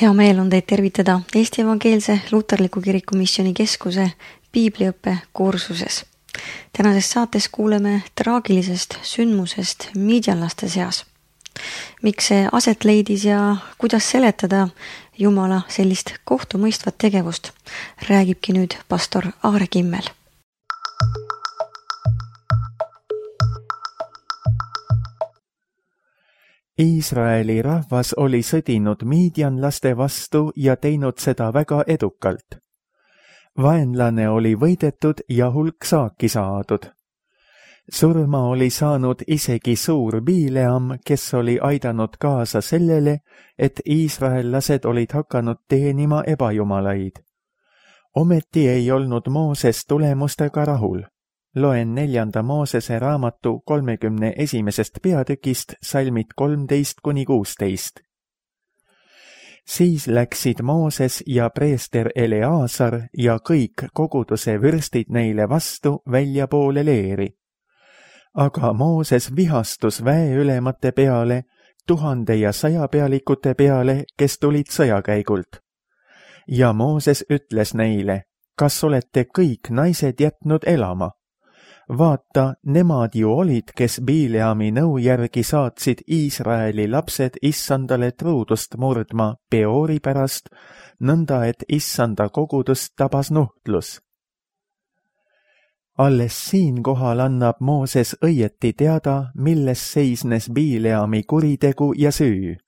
Hea meel on teid tervitada Eesti Evangeelse Luterliku Kiriku Missiooni Keskuse piibliõppe kursuses. Tänases saates kuuleme traagilisest sündmusest miidjanlaste seas. Miks see aset leidis ja kuidas seletada Jumala sellist kohtumõistvat tegevust, räägibki nüüd pastor Aare Kimmel. Iisraeli rahvas oli sõdinud miidjanlaste vastu ja teinud seda väga edukalt. Vaenlane oli võidetud ja hulk saaki saadud. Surma oli saanud isegi suur Bileam, kes oli aidanud kaasa sellele, et iisraellased olid hakanud teenima ebajumalaid. Ometi ei olnud Mooses tulemustega rahul. Loen 4. Moosese raamatu 31. peatükist salmid 13-16. Siis läksid Mooses ja preester Eleazar ja kõik koguduse vürstid neile vastu väljapoole leeri. Aga Mooses vihastus väeülemate peale, 1000 ja 100 pealikute peale, kes tulid sõjakäigult. Ja Mooses ütles neile, kas olete kõik naised jätnud elama? Vaata, nemad ju olid, kes Bileami nõu järgi saatsid Iisraeli lapsed issandale truudust murdma Peori pärast, nõnda et issanda kogudust tabas nuhtlus. Alles siinkohal annab Mooses õieti teada, milles seisnes Bileami kuritegu ja süü.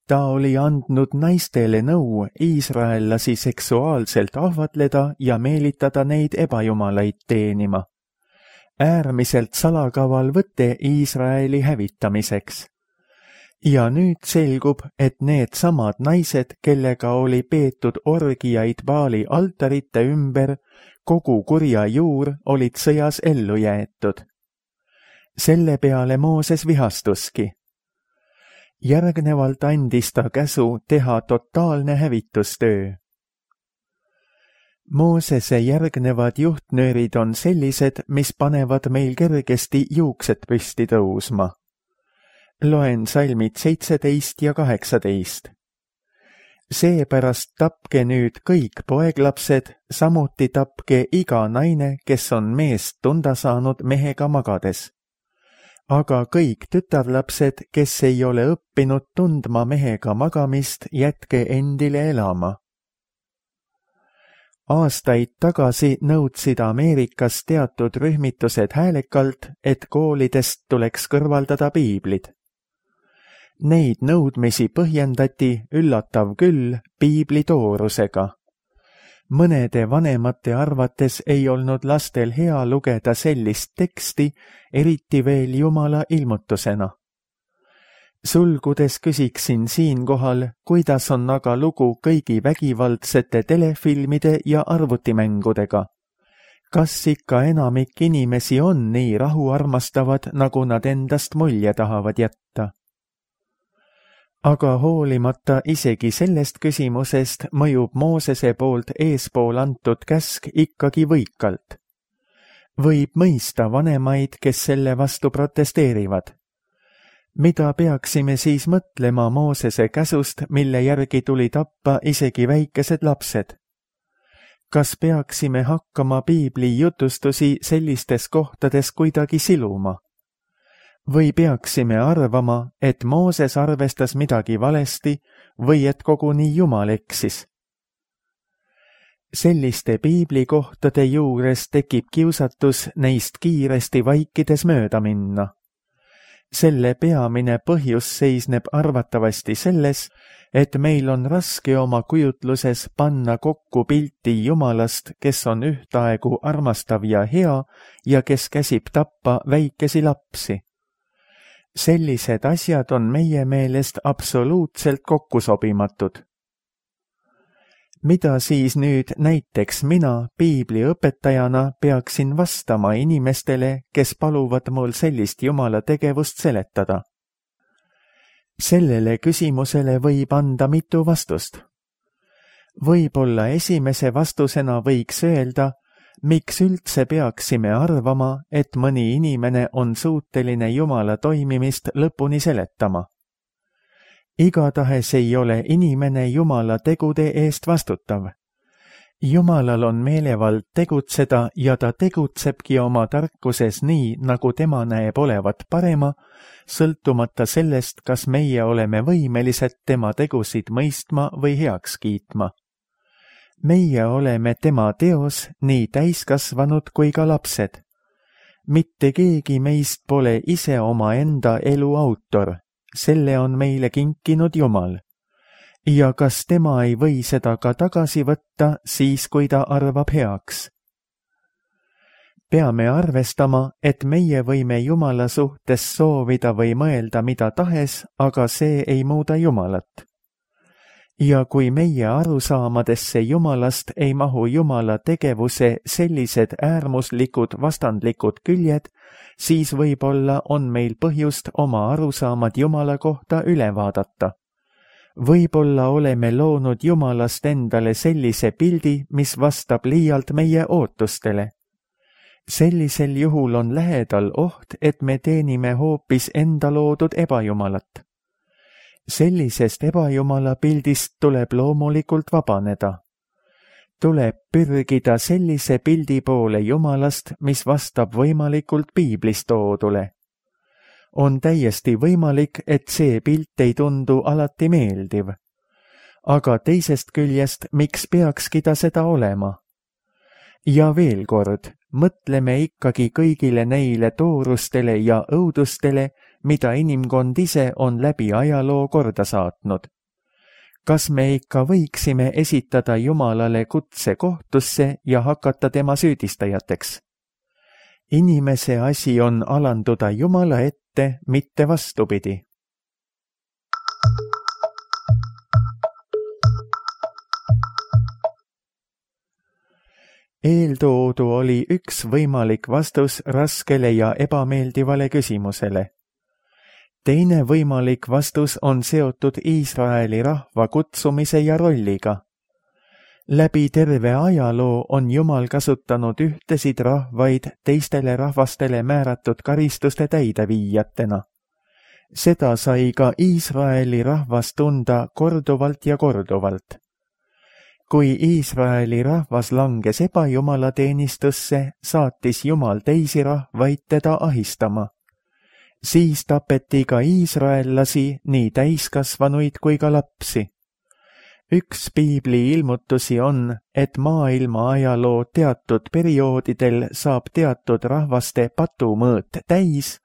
Ta oli andnud naistele nõu iisraellasi seksuaalselt ahvatleda ja meelitada neid ebajumalaid teenima. Äärmiselt salakaval võte Iisraeli hävitamiseks. Ja nüüd selgub, et need samad naised, kellega oli peetud orgiaid Baali altarite ümber, kogu kurja juur olid sõjas ellu jäetud. Selle peale Mooses vihastuski. Järgnevalt andis ta käsu teha totaalne hävitustöö. Moosese järgnevad juhtnöörid on sellised, mis panevad meil kergesti juuksed püsti tõusma. Loen salmid 17 ja 18. Seepärast tapke nüüd kõik poeglapsed, samuti tapke iga naine, kes on meest tunda saanud mehega magades. Aga kõik tütarlapsed, kes ei ole õppinud tundma mehega magamist, jätke endile elama. Aastaid tagasi nõudsid Ameerikas teatud rühmitused häälekalt, et koolidest tuleks kõrvaldada piiblid. Neid nõudmisi põhjendati, üllatav küll, piibli toorusega. Mõnede vanemate arvates ei olnud lastel hea lugeda sellist teksti, eriti veel Jumala ilmutusena. Sulgudes küsiksin siinkohal, kuidas on aga lugu kõigi vägivaldsete telefilmide ja arvutimängudega. Kas ikka enamik inimesi on nii rahuarmastavad, nagu nad endast mulje tahavad jätta? Aga hoolimata isegi sellest küsimusest mõjub Moosese poolt eespool antud käsk ikkagi võikalt. Võib mõista vanemaid, kes selle vastu protesteerivad. Mida peaksime siis mõtlema Moosese käsust, mille järgi tuli tappa isegi väikesed lapsed? Kas peaksime hakkama piibli jutustusi sellistes kohtades kuidagi siluma? Või peaksime arvama, et Mooses arvestas midagi valesti või et koguni Jumal eksis? Selliste piiblikohtade juures tekib kiusatus neist kiiresti vaikides mööda minna. Selle peamine põhjus seisneb arvatavasti selles, et meil on raske oma kujutluses panna kokku pilti Jumalast, kes on ühtaegu armastav ja hea ja kes käsib tappa väikesi lapsi. Sellised asjad on meie meelest absoluutselt kokkusobimatud. Mida siis nüüd näiteks mina piibliõpetajana peaksin vastama inimestele, kes paluvad mul sellist Jumala tegevust seletada? Sellele küsimusele võib anda mitu vastust. Võib-olla esimese vastusena võiks öelda, miks üldse peaksime arvama, et mõni inimene on suuteline Jumala toimimist lõpuni seletama. Igatahes ei ole inimene Jumala tegude eest vastutav. Jumalal on meelevald tegutseda ja ta tegutsebki oma tarkuses nii, nagu tema näeb olevat parema, sõltumata sellest, kas meie oleme võimelised tema tegusid mõistma või heaks kiitma. Meie oleme tema teos, nii täiskasvanud kui ka lapsed. Mitte keegi meist pole ise omaenda elu autor, selle on meile kinkinud Jumal. Ja kas tema ei või seda ka tagasi võtta siis, kui ta arvab heaks? Peame arvestama, et meie võime Jumala suhtes soovida või mõelda mida tahes, aga see ei muuda Jumalat. Ja kui meie arusaamadesse Jumalast ei mahu Jumala tegevuse sellised äärmuslikud vastandlikud küljed, siis võib-olla on meil põhjust oma arusaamad Jumala kohta üle vaadata. Võib-olla oleme loonud Jumalast endale sellise pildi, mis vastab liialt meie ootustele. Sellisel juhul on lähedal oht, et me teenime hoopis enda loodud ebajumalat. Sellisest ebajumala pildist tuleb loomulikult vabaneda. Tuleb pürgida sellise pildi poole Jumalast, mis vastab võimalikult piiblis toodule. On täiesti võimalik, et see pilt ei tundu alati meeldiv. Aga teisest küljest, miks peakski ta seda olema? Ja veel kord, mõtleme ikkagi kõigile neile toorustele ja õudustele, mida inimkond ise on läbi ajaloo korda saatnud. Kas me ikka võiksime esitada Jumalale kutse kohtusse ja hakata tema süüdistajateks? Inimese asi on alanduda Jumala ette, mitte vastupidi. Eeltoodu oli üks võimalik vastus raskele ja ebameeldivale küsimusele. Teine võimalik vastus on seotud Iisraeli rahva kutsumise ja rolliga. Läbi terve ajaloo on Jumal kasutanud ühtesid rahvaid teistele rahvastele määratud karistuste täideviijatena. Seda sai ka Iisraeli rahvas tunda korduvalt ja korduvalt. Kui Iisraeli rahvas langes ebajumalateenistusse, saatis Jumal teisi rahvaid teda ahistama. Siis tapeti ka iisraellasi, nii täiskasvanuid kui ka lapsi. Üks piibli ilmutusi on, et maailma ajaloo teatud perioodidel saab teatud rahvaste patumõõt täis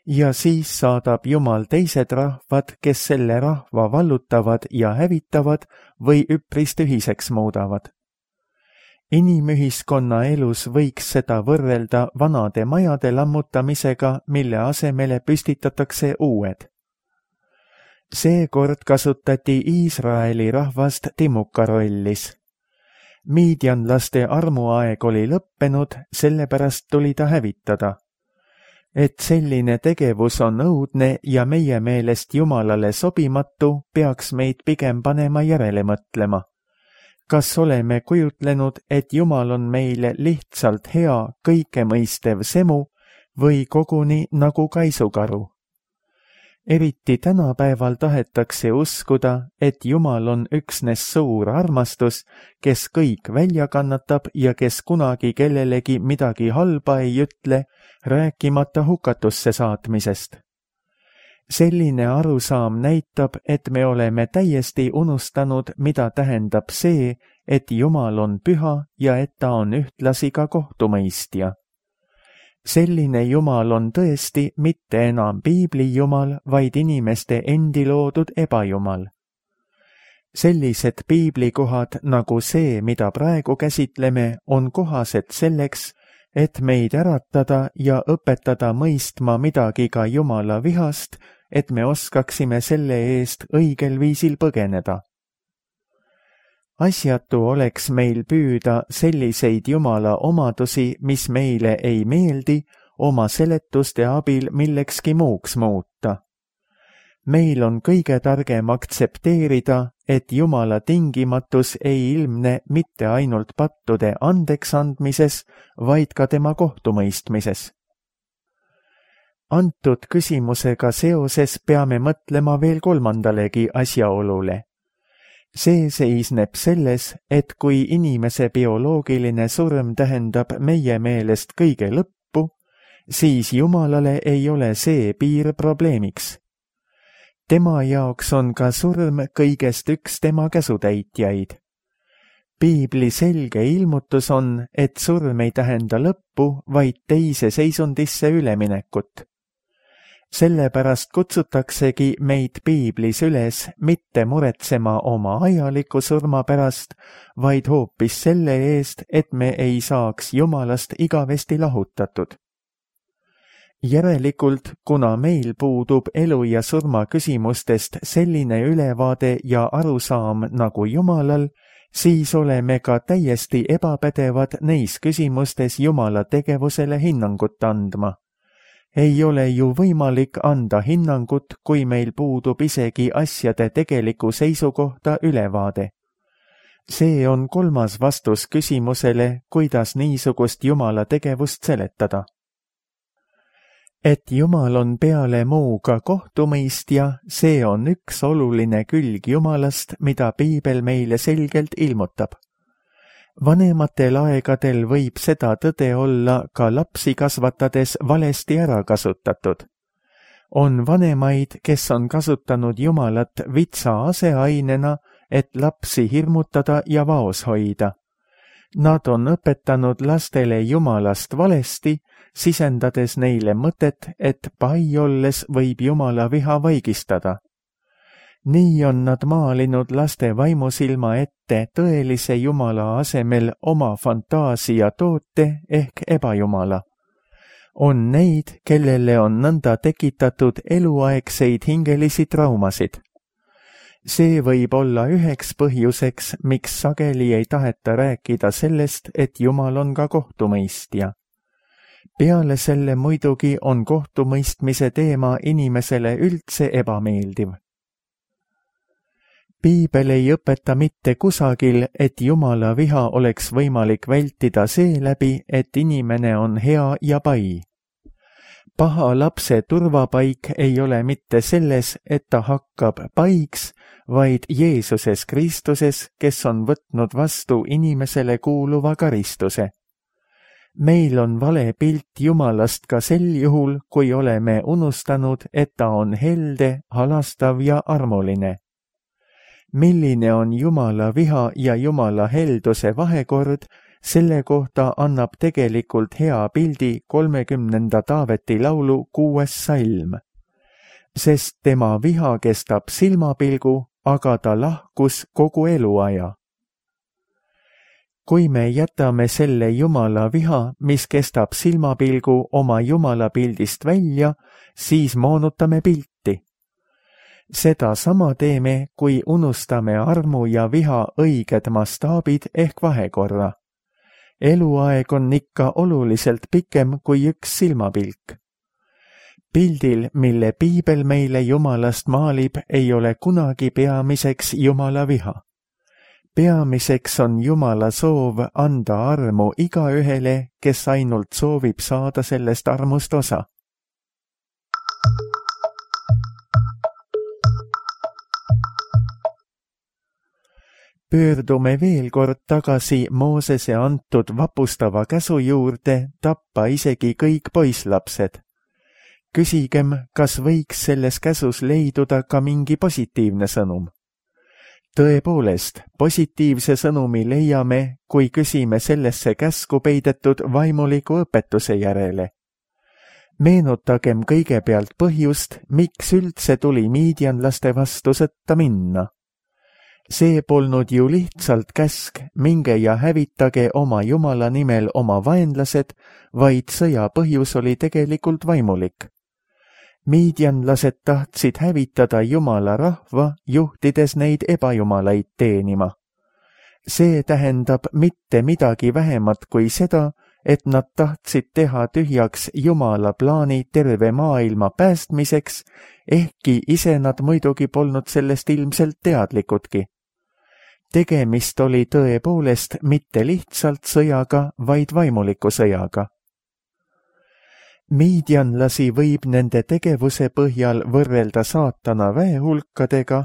ja siis saadab Jumal teised rahvad, kes selle rahva vallutavad ja hävitavad või üpris tühiseks muudavad. Inimühiskonna elus võiks seda võrrelda vanade majade lammutamisega, mille asemele püstitatakse uued. Seekord kasutati Iisraeli rahvast Timuka rollis. Miidjanlaste armuaeg oli lõppenud, sellepärast tuli ta hävitada. Et selline tegevus on õudne ja meie meelest Jumalale sobimatu, peaks meid pigem panema järele mõtlema. Kas oleme kujutlenud, et Jumal on meile lihtsalt hea, kõikemõistev semu või koguni nagu kaisukaru? Eriti tänapäeval tahetakse uskuda, et Jumal on üksnes suur armastus, kes kõik välja kannatab ja kes kunagi kellelegi midagi halba ei ütle, rääkimata hukatusse saatmisest. Selline arusaam näitab, et me oleme täiesti unustanud, mida tähendab see, et Jumal on püha ja et ta on ühtlasi ka kohtumõistja. Selline Jumal on tõesti mitte enam piibli Jumal, vaid inimeste endi loodud ebajumal. Sellised piiblikohad nagu see, mida praegu käsitleme, on kohased selleks, et meid äratada ja õpetada mõistma midagi ka Jumala vihast, et me oskaksime selle eest õigel viisil põgeneda. Asjatu oleks meil püüda selliseid Jumala omadusi, mis meile ei meeldi, oma seletuste abil millekski muuks muuta. Meil on kõige targem aktsepteerida, et Jumala tingimatus ei ilmne mitte ainult pattude andeksandmises, vaid ka tema kohtumõistmises. antud küsimusega seoses peame mõtlema veel kolmandalegi asjaolule. See seisneb selles, et kui inimese bioloogiline surm tähendab meie meelest kõige lõppu, siis Jumalale ei ole see piir probleemiks. Tema jaoks on ka surm kõigest üks tema käsutäitjaid. Piibli selge ilmutus on, et surm ei tähenda lõppu, vaid teise seisundisse üleminekut. Sellepärast kutsutaksegi meid Piiblis üles mitte muretsema oma ajaliku surma pärast, vaid hoopis selle eest, et me ei saaks Jumalast igavesti lahutatud. Järelikult, kuna meil puudub elu ja surma küsimustest selline ülevaade ja arusaam nagu Jumalal, siis oleme ka täiesti ebapädevad neis küsimustes Jumala tegevusele hinnangut andma. Ei ole ju võimalik anda hinnangut, kui meil puudub isegi asjade tegeliku seisukohta ülevaade. See on kolmas vastus küsimusele, kuidas niisugust Jumala tegevust seletada. Et Jumal on peale muu ka kohtumõistja, see on üks oluline külg Jumalast, mida Piibel meile selgelt ilmutab. Vanematel aegadel võib seda tõde olla ka lapsi kasvatades valesti ära kasutatud. On vanemaid, kes on kasutanud Jumalat vitsa aseainena, et lapsi hirmutada ja vaos hoida. Nad on õpetanud lastele Jumalast valesti, sisendades neile mõtet, et pai olles võib Jumala viha vaigistada. Nii on nad maalinud laste vaimusilma ette tõelise Jumala asemel oma fantaasia toote ehk ebajumala. On neid, kellele on nõnda tekitatud eluaegseid hingelisi traumasid. See võib olla üheks põhjuseks, miks sageli ei taheta rääkida sellest, et Jumal on ka kohtumõistja. Peale selle muidugi on kohtumõistmise teema inimesele üldse ebameeldiv. Piibel ei õpeta mitte kusagil, et Jumala viha oleks võimalik vältida seeläbi, et inimene on hea ja pai. Paha lapse turvapaik ei ole mitte selles, et ta hakkab paiks, vaid Jeesuses Kristuses, kes on võtnud vastu inimesele kuuluva karistuse. Meil on vale pilt Jumalast ka sel juhul, kui oleme unustanud, et ta on helde, halastav ja armuline. Milline on Jumala viha ja Jumala helduse vahekord, selle kohta annab tegelikult hea pildi 30. Taaveti laulu 6. salm. Sest tema viha kestab silmapilgu, aga ta lahkus kogu eluaja. Kui me jätame selle Jumala viha, mis kestab silmapilgu oma Jumala pildist välja, siis moonutame pilti. Seda sama teeme, kui unustame armu ja viha õiged mastaabid ehk vahekorra. Eluaeg on ikka oluliselt pikem kui üks silmapilk. Pildil, mille Piibel meile Jumalast maalib, ei ole kunagi peamiseks Jumala viha. Peamiseks on Jumala soov anda armu igaühele, kes ainult soovib saada sellest armust osa. Pöördume veel kord tagasi Moosese antud vapustava käsu juurde tappa isegi kõik poisslapsed. Küsigem, kas võiks selles käsus leiduda ka mingi positiivne sõnum. Tõepoolest, positiivse sõnumi leiame, kui küsime sellesse käsku peidetud vaimuliku õpetuse järele. Meenutagem kõigepealt põhjust, miks üldse tuli miidianlaste vastu sõtta minna. See polnud ju lihtsalt käsk, minge ja hävitage oma Jumala nimel oma vaenlased, vaid sõja põhjus oli tegelikult vaimulik. Miidianlased tahtsid hävitada Jumala rahva, juhtides neid ebajumalaid teenima. See tähendab mitte midagi vähemat kui seda, et nad tahtsid teha tühjaks Jumala plaani terve maailma päästmiseks, ehkki ise nad muidugi polnud sellest ilmselt teadlikudki. Tegemist oli tõepoolest mitte lihtsalt sõjaga, vaid vaimuliku sõjaga. Miidianlasi võib nende tegevuse põhjal võrrelda saatana väehulkadega,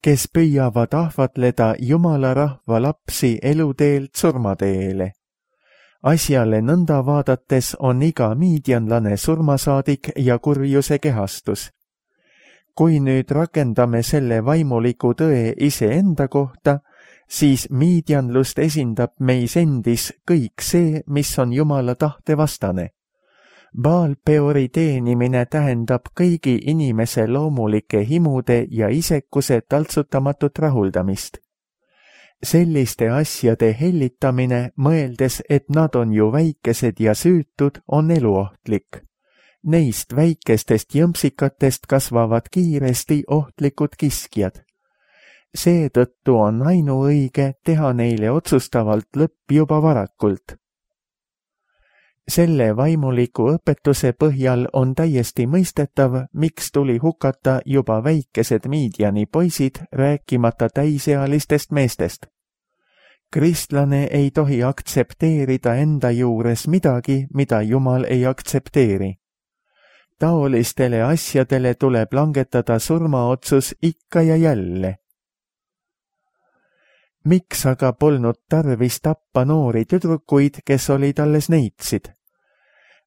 kes püüavad ahvatleda Jumala rahva lapsi eluteelt surmateele. Asjale nõnda vaadates on iga miidianlane surmasaadik ja kurjuse kehastus. Kui nüüd rakendame selle vaimuliku tõe iseenda kohta, siis miidianlust esindab meis endis kõik see, mis on Jumala tahte vastane. Baal-peori teenimine tähendab kõigi inimese loomulike himude ja isekuse taltsutamatut rahuldamist. Selliste asjade hellitamine, mõeldes, et nad on ju väikesed ja süütud, on eluohtlik. Neist väikestest jõmpsikatest kasvavad kiiresti ohtlikud kiskjad. Seetõttu on ainuõige teha neile otsustavalt lõpp juba varakult. Selle vaimuliku õpetuse põhjal on täiesti mõistetav, miks tuli hukata juba väikesed Miidiani poisid, rääkimata täisealistest meestest. Kristlane ei tohi aktsepteerida enda juures midagi, mida Jumal ei aktsepteeri. Taolistele asjadele tuleb langetada surmaotsus ikka ja jälle. Miks aga polnud tarvis tappa noori tüdrukuid, kes olid alles neitsid?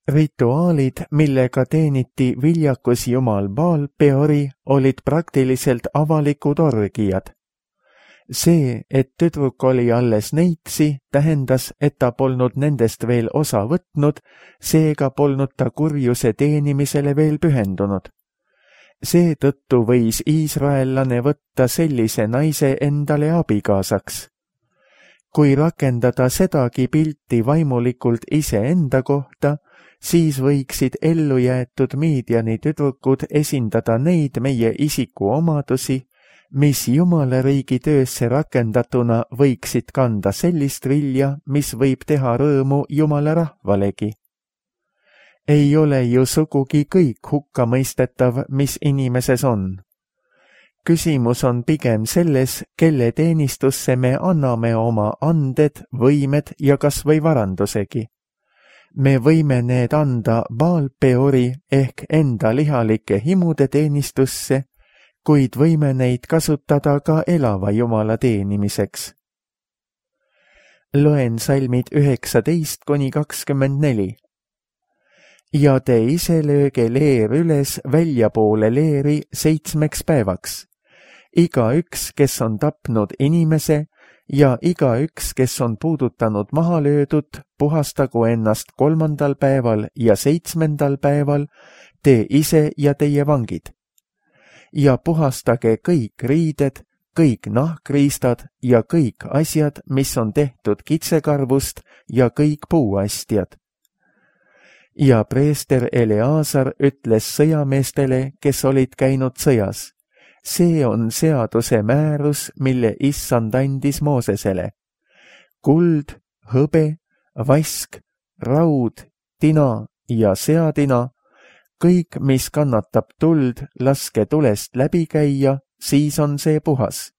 Rituaalid, millega teeniti viljakus Jumal Baal-peori, olid praktiliselt avalikud orgiad. See, et tüdruk oli alles neitsi, tähendas, et ta polnud nendest veel osa võtnud, seega polnud ta kurjuse teenimisele veel pühendunud. Seetõttu võis iisraellane võtta sellise naise endale abikaasaks. Kui rakendada sedagi pilti vaimulikult iseenda kohta, siis võiksid ellujäetud Miidiani tüdrukud esindada neid meie isiku omadusi, mis Jumala riigi töösse rakendatuna võiksid kanda sellist vilja, mis võib teha rõõmu Jumala rahvalegi. Ei ole ju sugugi kõik hukkamõistetav, mis inimeses on. Küsimus on pigem selles, kelle teenistusse me anname oma anded, võimed ja kas või varandusegi. Me võime need anda Baal-peori ehk enda lihalike himude teenistusse, kuid võime neid kasutada ka elava Jumala teenimiseks. Loen salmid 19–24. Ja te ise lööge leer üles väljapoole leeri 7 päevaks. Igaüks, kes on tapnud inimese, ja igaüks, kes on puudutanud maha löödud, puhastagu ennast 3. päeval ja 7. päeval, te ise ja teie vangid. Ja puhastage kõik riided, kõik nahkriistad ja kõik asjad, mis on tehtud kitsekarvust ja kõik puuastjad. Ja preester Eleazar ütles sõjameestele, kes olid käinud sõjas. See on seaduse määrus, mille Issand andis Moosesele. Kuld, hõbe, vask, raud, tina ja seadina, kõik, mis kannatab tuld, laske tulest läbi käia, siis on see puhas.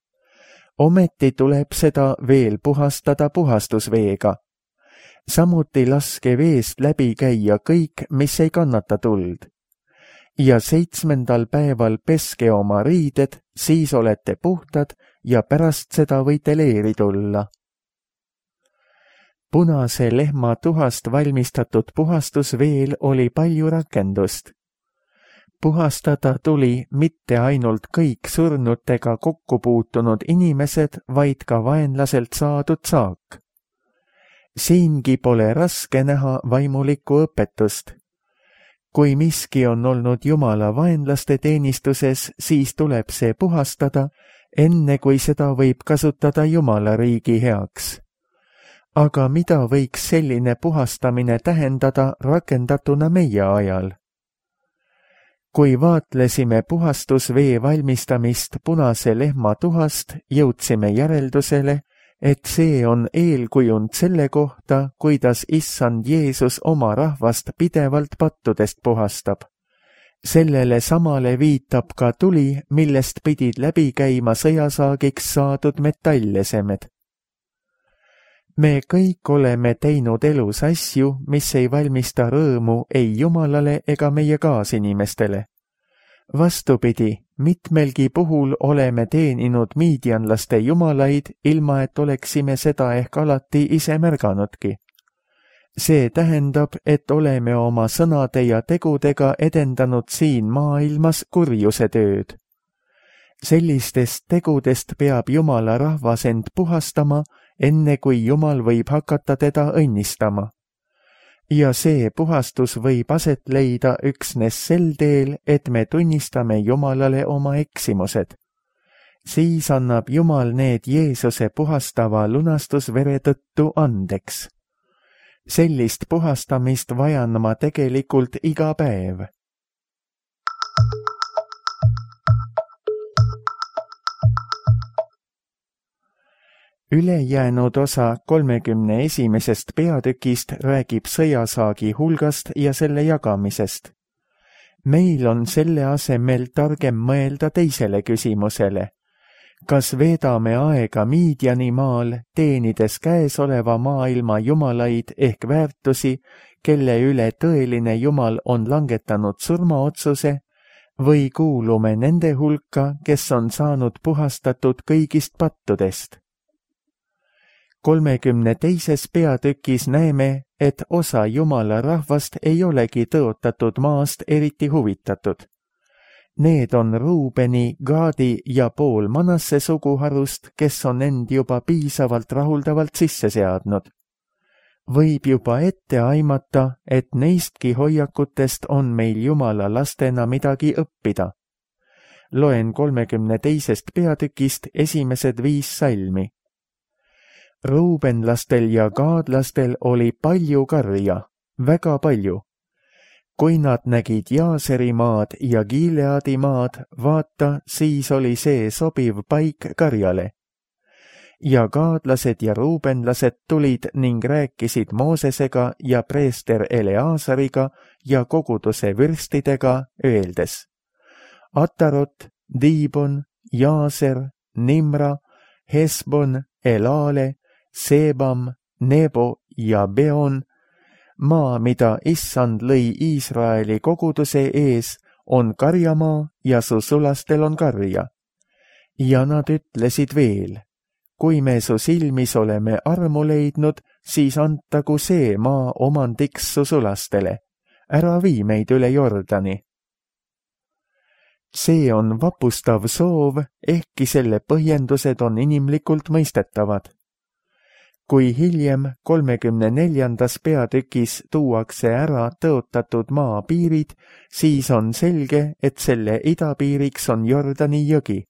Ometi tuleb seda veel puhastada puhastusveega. Samuti laske veest läbi käia kõik, mis ei kannata tuld. Ja 7. päeval peske oma riided, siis olete puhtad ja pärast seda võite leeri tulla. Punase lehma tuhast valmistatud puhastusveel oli palju rakendust. Puhastada tuli mitte ainult kõik surnutega kokku puutunud inimesed, vaid ka vaenlaselt saadud saak. Siingi pole raske näha vaimulikku õpetust. Kui miski on olnud Jumala vaenlaste teenistuses, siis tuleb see puhastada, enne kui seda võib kasutada Jumala riigi heaks. Aga mida võiks selline puhastamine tähendada rakendatuna meie ajal? Kui vaatlesime puhastusvee valmistamist punase lehma tuhast, jõudsime järeldusele, et see on eelkujund selle kohta, kuidas Issand Jeesus oma rahvast pidevalt pattudest puhastab. Sellele samale viitab ka tuli, millest pidid läbi käima sõjasaagiks saadud metallesemed. Me kõik oleme teinud elus asju, mis ei valmista rõõmu ei Jumalale ega meie kaasinimestele. Vastupidi, mitmelgi puhul oleme teeninud miidianlaste jumalaid, ilma et oleksime seda ehk alati ise märganudki. See tähendab, et oleme oma sõnade ja tegudega edendanud siin maailmas kurjuse tööd. Sellistest tegudest peab Jumala rahvas end puhastama, enne kui Jumal võib hakata teda õnnistama. Ja see puhastus võib aset leida üksnes sel teel, et me tunnistame Jumalale oma eksimused. Siis annab Jumal need Jeesuse puhastava lunastusvere tõttu andeks. Sellist puhastamist vajan ma tegelikult iga päev. Ülejäänud osa 31. peatükist räägib sõjasaagi hulgast ja selle jagamisest. Meil on selle asemel targem mõelda teisele küsimusele. Kas veedame aega Miidianimaal, teenides käesoleva maailma jumalaid ehk väärtusi, kelle üle tõeline Jumal on langetanud surmaotsuse, või kuulume nende hulka, kes on saanud puhastatud kõigist pattudest? 32. peatükis näeme, et osa Jumala rahvast ei olegi tõotatud maast eriti huvitatud. Need on Ruubeni, Gaadi ja pool Manasse suguharust, kes on end juba piisavalt rahuldavalt sisse seadnud. Võib juba ette aimata, et neistki hoiakutest on meil Jumala lastena midagi õppida. Loen 32. peatükist esimesed 5 salmi. Ruubenlastel ja gaadlastel oli palju karja, väga palju. Kui nad nägid Jaaseri maad ja Gileadi maad, vaata, siis oli see sobiv paik karjale. Ja gaadlased ja ruubenlased tulid ning rääkisid Moosesega ja preester Eleasariga ja koguduse vürstidega, öeldes: Atarot, Diibon, Jaaser, Nimra, Hesbon, Elale, Sebam, Nebo ja Beon, maa, mida Issand lõi Iisraeli koguduse ees, on karjamaa ja su sulastel on karja. Ja nad ütlesid veel: kui me su silmis oleme armu leidnud, siis antagu see maa omandiks su sulastele. Ära vii meid üle Jordani. See on vapustav soov, ehkki selle põhjendused on inimlikult mõistetavad. Kui hiljem 34. peatükis tuuakse ära tõotatud maa piirid, siis on selge, et selle idapiiriks on Jordani jõgi.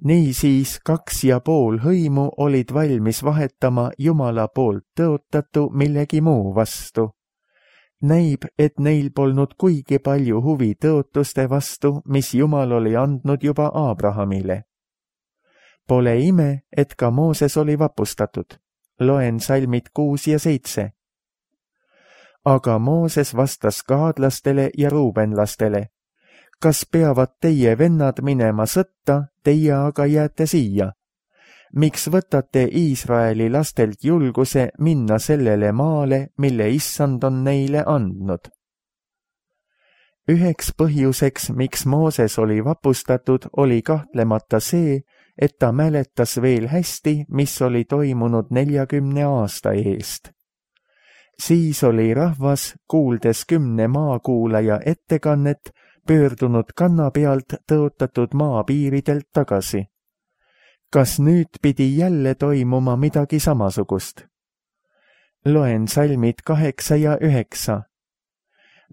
Niisiis 2,5 hõimu olid valmis vahetama Jumala poolt tõotatu millegi muu vastu. Näib, et neil polnud kuigi palju huvi tõotuste vastu, mis Jumal oli andnud juba Abrahamile. Pole ime, et ka Mooses oli vapustatud. Loen salmid 6 ja 7. Aga Mooses vastas gaadlastele ja ruubenlastele: kas peavad teie vennad minema sõtta, teie aga jääte siia? Miks võtate Iisraeli lastelt julguse minna sellele maale, mille Issand on neile andnud? Üheks põhjuseks, miks Mooses oli vapustatud, oli kahtlemata see, et ta mäletas veel hästi, mis oli toimunud 40 aasta eest. Siis oli rahvas, kuuldes 10 maakuulaja ettekannet, pöördunud kanna pealt tõotatud maapiiridelt tagasi. Kas nüüd pidi jälle toimuma midagi samasugust? Loen salmid 8 ja 9.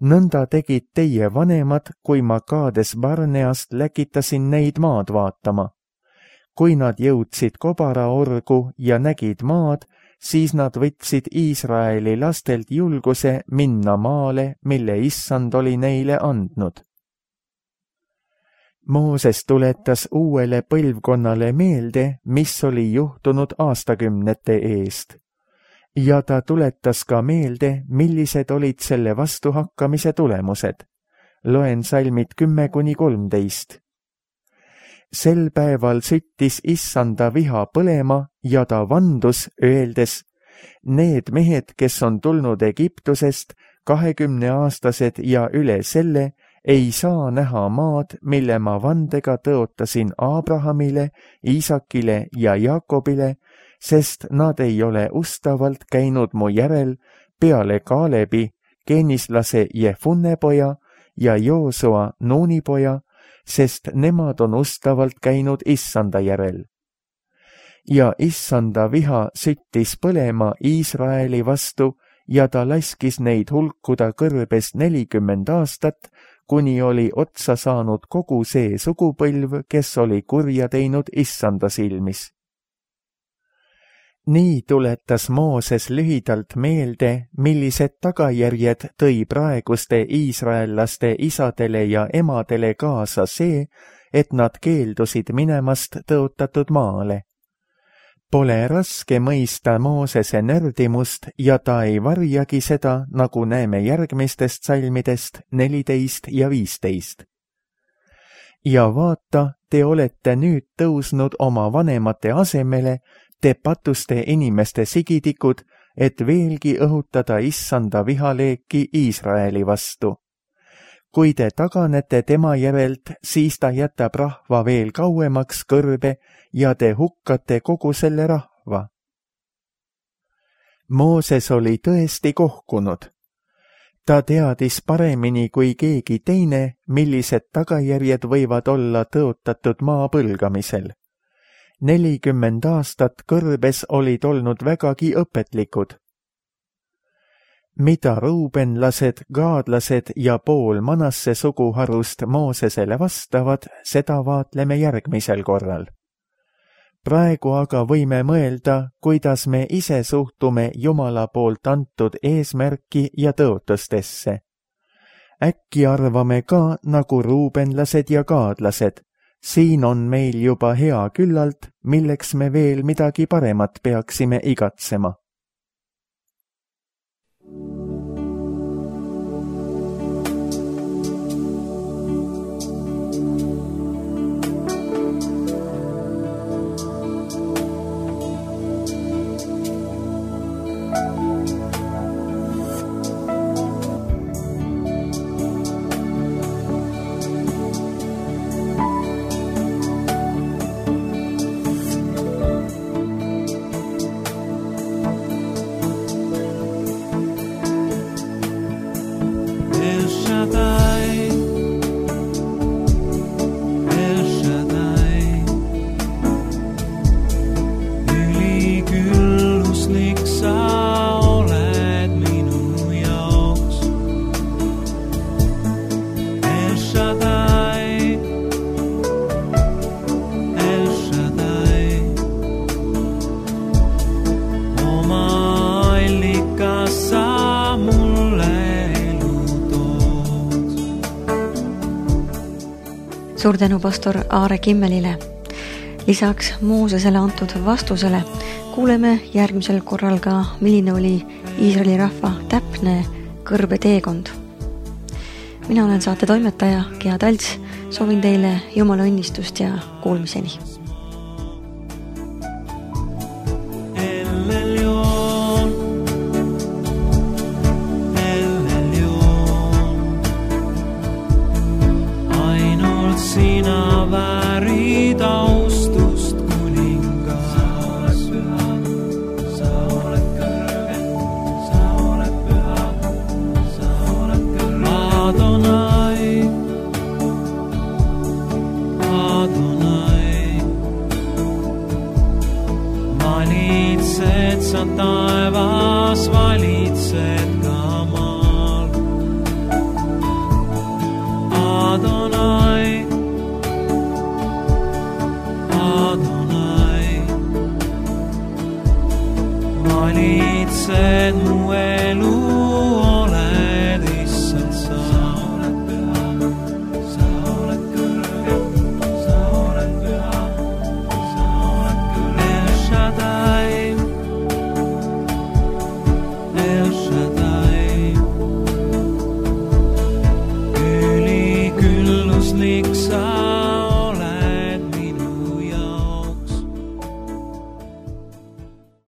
Nõnda tegid teie vanemad, kui ma Kaades Barneast läkitasin neid maad vaatama. Kui nad jõudsid Kobaraorgu ja nägid maad, siis nad võtsid Iisraeli lastelt julguse minna maale, mille Issand oli neile andnud. Mooses tuletas uuele põlvkonnale meelde, mis oli juhtunud aastakümnete eest. Ja ta tuletas ka meelde, millised olid selle vastuhakkamise tulemused. Loen salmid 10-13. Sel päeval süttis Issanda viha põlema ja ta vandus, öeldes: Need mehed, kes on tulnud Egiptusest, 20-aastased ja üle selle, ei saa näha maad, mille ma vandega tõotasin Abrahamile, Iisakile ja Jaakobile, sest nad ei ole ustavalt käinud mu järel peale Kaalebi, Keenislase Jefunne poja ja Joosua Nuuni poja, sest nemad on ustavalt käinud Issanda järel. Ja Issanda viha süttis põlema Iisraeli vastu ja ta laskis neid hulkuda kõrbes 40 aastat, kuni oli otsa saanud kogu see sugupõlv, kes oli kurja teinud Issanda silmis. Nii tuletas Mooses lühidalt meelde, millised tagajärjed tõi praeguste iisraellaste isadele ja emadele kaasa see, et nad keeldusid minemast tõotatud maale. Pole raske mõista Moosese nördimust ja ta ei varjagi seda, nagu näeme järgmistest salmidest 14 ja 15. Ja vaata, te olete nüüd tõusnud oma vanemate asemele, te patuste inimeste sigidikud, et veelgi õhutada Issanda vihaleeki Iisraeli vastu. Kui te taganete tema järelt, siis ta jätab rahva veel kauemaks kõrbe ja te hukkate kogu selle rahva. Mooses oli tõesti kohkunud. Ta teadis paremini kui keegi teine, millised tagajärjed võivad olla tõotatud maa põlgamisel. 40 aastat kõrbes olid olnud vägagi õpetlikud. Mida ruubenlased, gaadlased ja pool Manasse suguharust Moosesele vastavad, seda vaatleme järgmisel korral. Praegu aga võime mõelda, kuidas me ise suhtume Jumala poolt antud eesmärki ja tõotustesse. Äkki arvame ka nagu ruubenlased ja gaadlased. Siin on meil juba hea küllalt, milleks me veel midagi paremat peaksime igatsema. Suur tänu pastor Aare Kimmelile. Lisaks Moosesele antud vastusele kuuleme järgmisel korral ka, milline oli Iisraeli rahva täpne kõrbeteekond. Mina olen saate toimetaja Gea Talts, soovin teile Jumala õnnistust ja kuulmiseni. Sa taevas valitsed ka maal. Adonai, Adonai, valitsed mu elu